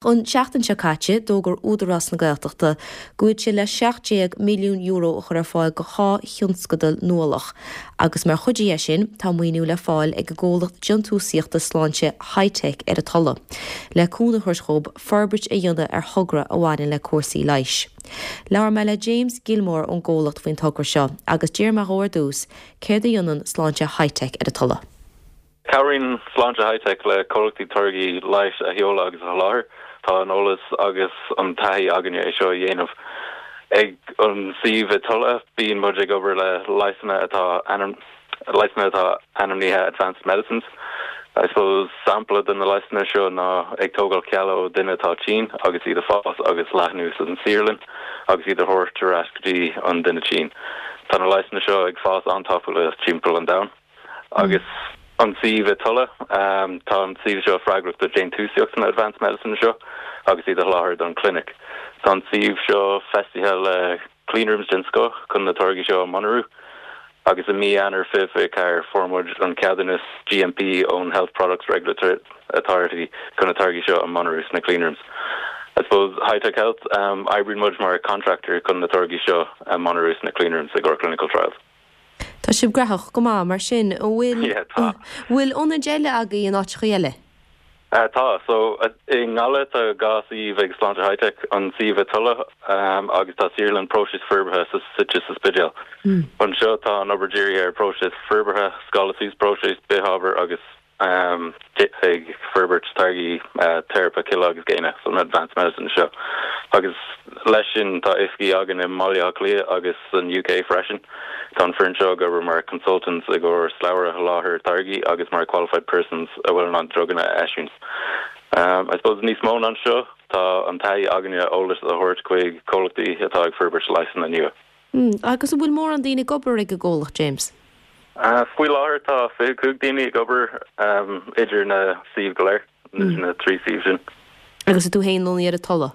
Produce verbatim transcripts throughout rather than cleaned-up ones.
An tseachtain seo caite d'fhógair Údarás na Gaeltachta go bhfuil sé le seacht déag milliún euro a chur ar fáil do dhá thionscadal nuálach agus mar chuid de sin tá maoiniú le fáil ag an gcomhlacht déantúsaíochta sláinte Hi-Tech ar an Tulaich le cúnamh a thabhairt dóibh forbairt a dhéanamh ar thogra a bhaineann le cúrsaí leighis. Labhair mé le James Gilmore ón gcomhlacht faoin togra seo agus d'iarr mé dhó ar dtús céard a dhéanann Sláinte Hi-Tech ar an Tulaich. Cabhraíonn Sláinte Hi-Tech le comhlachtaí táirgí leighis a sheoladh agus a sholáthar. Tá an eolas agus an taithí againne é seo a dhéanamh. Ag an suíomh i Tulla bíonn muid ag obair le leigheasanna atá leigheasanna atá ainmnithe advanced medicines. I suppose sampla de na leigheasanna seo ná ag tógáil cealla ó duine atá tinn agus iad a fás agus leathnú san saotharlann agus iad a thabhairt ar ais go dtí an duine tinn. Tá na leigheasanna seo ag fás an-tapúil timpeall an domhain. Agus an suíomh i Tulla um, tá an suíomh seo freagrach do déantúsaíocht na advanced medicine seo agus iad a sholáthar don clinic. Tá an suíomh seo feistithe le cleanrooms den scoth chun na táirgí seo a mhonarú agus i mí Eanáir fiche fiche ceathair fuair muid an ceadúnas GMP ón Health Products Regulatory Authority chun na táirgí seo a mhonarú sna cleanrooms. I suppose Hi-Tech Health um, oibríonn muid mar contractor chun na táirgí seo a mhonarú sna cleanrooms i gcomhair clinical trials. Tá sibh gnóthach go maith mar sin bhfuil bhfuil ionaid eile agaibh in áiteacha eile. Uh, tá so uh, i nGaillimh tá dhá suíomh ag Sláinte Hi-Tech an suíomh i Tulla um, agus tá saotharlann próisis forbartha sa suite sa Spidéal. Mm. Anseo tá an obair dírithe ar próisis forbartha, scála suas próisis bithábhar agus um, ag forbairt táirgí uh, teiripe cille agus géine so an advanced medicine seo. Agus leis sin tá oifigí againn i mBaile Átha Cliath agus san UK freisin. Tá an foireann seo ag obair mar consultants i gcomhair slabhra soláthair táirgí agus mar qualified persons a bhfuil an druganna a eisiúint. Um, I suppose níos mó ná seo tá an taithí againne eolas a thabhairt chuig comhlachtaí atá ag forbairt leigheasanna nua. Mm, agus an bhfuil mórán daoine ag obair ag an gcomhlacht James. Uh, Faoi láthair tá fiche cúig daoine ag obair um, idir na suímh go léir mm. na trí suíomh sin. Agus tú féin lonnaithe ar an Tulaich?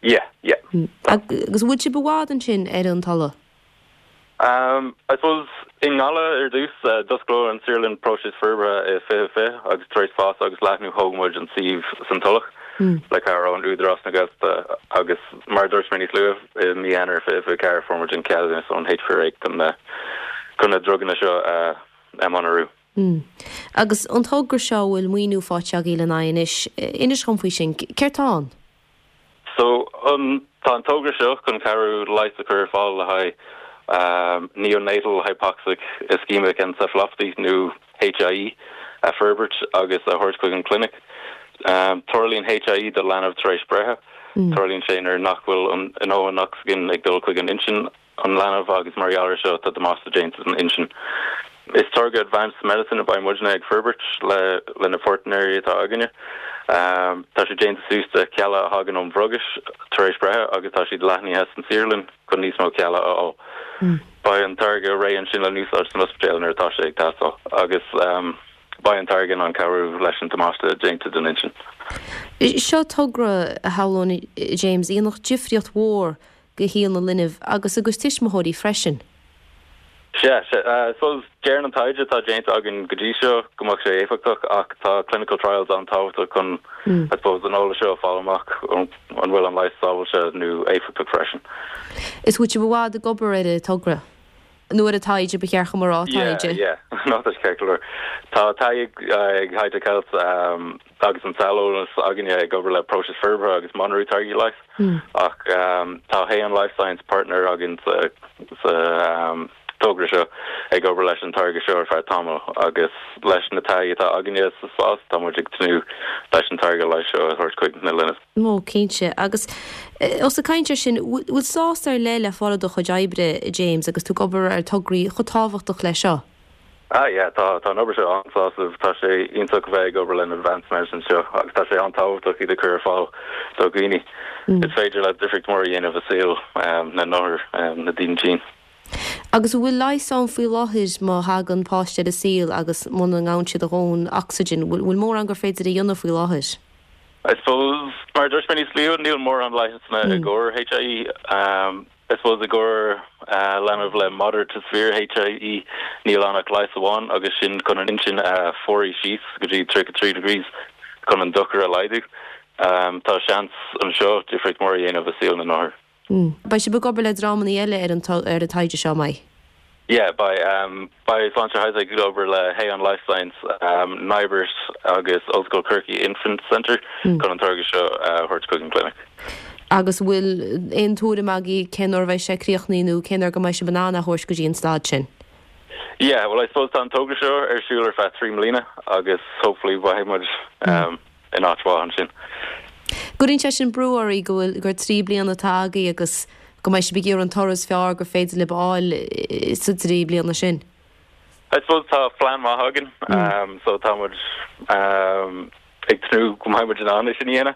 Yeah, yeah. Mm. Agus bhfuil sibh i bhfad ansin ar an Tulaich? Um, I suppose i nGaillimh ar dtús uh, d'oscail an saotharlann próisis forbartha i fiche fiche agus tar éis fás agus leathnú thóg muid an suíomh san Tulach mm. le cabhair ón Údarás na Gaeltachta agus mar dúirt mé níos luaithe i mí Eanáir fiche fiche ceathair fuair muid an ceadúnas ón HPRA chun na chun na druganna seo uh, a mhonarú. Mm. Agus an togra seo bhfuil maoiniú faighte agaibh lena aghaidh anois inis dom faoi sin céard atá ann? So um, tá an togra seo chun cabhrú leigheas a chur ar fáil le haghaidh um, neonatal hypoxic ischemic encephalopathy nó HIE a forbairt agus a thabhairt chuig an clinic. Um, Tarlaíonn HIE do leanbh tar éis breithe, mm. Tarlaíonn sé nuair nach bhfuil an dóthain ocsaigin ag dul chuig an intinn an leanbh agus mar gheall seo tá damáiste déanta san intinn. Is táirge advanced medicine a bheidh muidne ag forbairt le le na páirtnéirí atá againne. Um, tá sé déanta suas de cealla a thagann ón bhrogais tar éis breithe agus tá siad leathnaithe san saotharlann chun níos mó cealla a fháil. Mm. Beidh an táirge réidh ansin le úsáid san ospidéal nuair atá sé ag teastáil agus um, beidh an táirge in ann cabhrú leis an damáiste déanta don intinn. Seo togra a shamhlóinn James a dhéanfadh difríocht mhór go shaol na linbh agus agus tuismitheoirí freisin. Se uh, so deir an taighde atá déanta againn go dtí seo go mbeadh sé éifeachtach ach tá clinical trials an-tábhachtach chun mm. I suppose an eolas seo fáil amach an bhfuil an leigheas sábháilte nó éifeachtach freisin. Is bhfuil sibh i bhfad ag obair ar an togra? nó ar an taighde ba cheart mar taighde. ná ceir Tá ag ag Hi-Tech Health um, agus an saineolas againne ag obair le próisis forbartha agus monarú táirgí leighis mm. ach um, tá Haon Life Science partner againn sa, sa um, togra seo ag obair leis an táirge seo ar feadh tamall agus leis na taithí atá againne sa spás tá muid ag tnúth leis an táirge leighis seo a thabhairt chuig na linbh. Ó cinnte agus os ag caint sin bhfuil sásamh ar leith le fáil i do chuid oibre James agus tú ag obair ar tograí chomh tábhachtach le seo. Ah yeah, tá tá an obair seo an-sásamh tá sé iontach bheith ag obair le advanced medicine seo agus tá sé an-tábhachtach iad a chur ar fáil do dhaoine. Mm. Is féidir le difríocht mór a dhéanamh i saol um, na n-othar um, na daoine tinn. Agus bhfuil leigheas ann faoi láthair má thagann páiste ar an saol agus muna ngabhann siad a ndóthain ocsaigin, bhfuil mórán gur féidir a dhéanamh faoi láthair. I suppose mar dúirt mé níos luaithe níl mórán leigheasanna mm. i gcomhair HIE um, I suppose i gcomhair uh, leanbh le moderate to severe HIE níl ann ach leigheas amháin agus sin chun an intinn a uh, fuarú síos go dtí tríocha trí degrees chun an dochar a laghdú. Um, tá seans anseo difríocht mór a dhéanamh i saol na n-othar. Mm. Beidh sibh ag obair le dreamanna eile ar an ar an taighde seo mai. Yeah, by um, by Sláinte Hi-Tech ag obair le Haon Life Science, um, NIBRT agus Ollscoil Chorcaí Infant Center mm. chun an táirge seo uh, thabhairt chuig an clinic. Agus bhfuil aon tuairim agaibh cén uair bheidh sé críochnaithe nó cén uair go mbeidh sibh in ann a thabhairt go dtí an staid sin. Yeah, well I suppose tá an togra seo ar siúl ar feadh trí bliana agus hopefully beidh muid um, in áit mhaith ansin. Cuireann sé sin brú oraibh go bhfuil gur trí bliana atá agaibh agus go mbeidh sibh ag iarraidh an toradh is fearr gur féidir libh a fháil sa trí bliana sin. I suppose tá plean maith againn um, so tá muid um, ag tnúth go mbeidh muid in ann sin a dhéanamh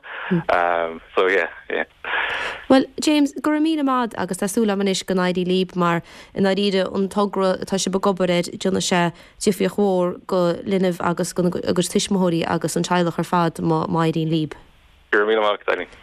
um, so yeah, yeah. Well James go raibh míle maith agus tá súil agam anois go n-éireoidh libh mar in áiríre an togra atá sibh ag obair air déanfaidh sé difríocht mhór go linbh agus agus tuismitheoirí agus an teaghlach ar fad má má éiríonn libh. Go raibh míle maith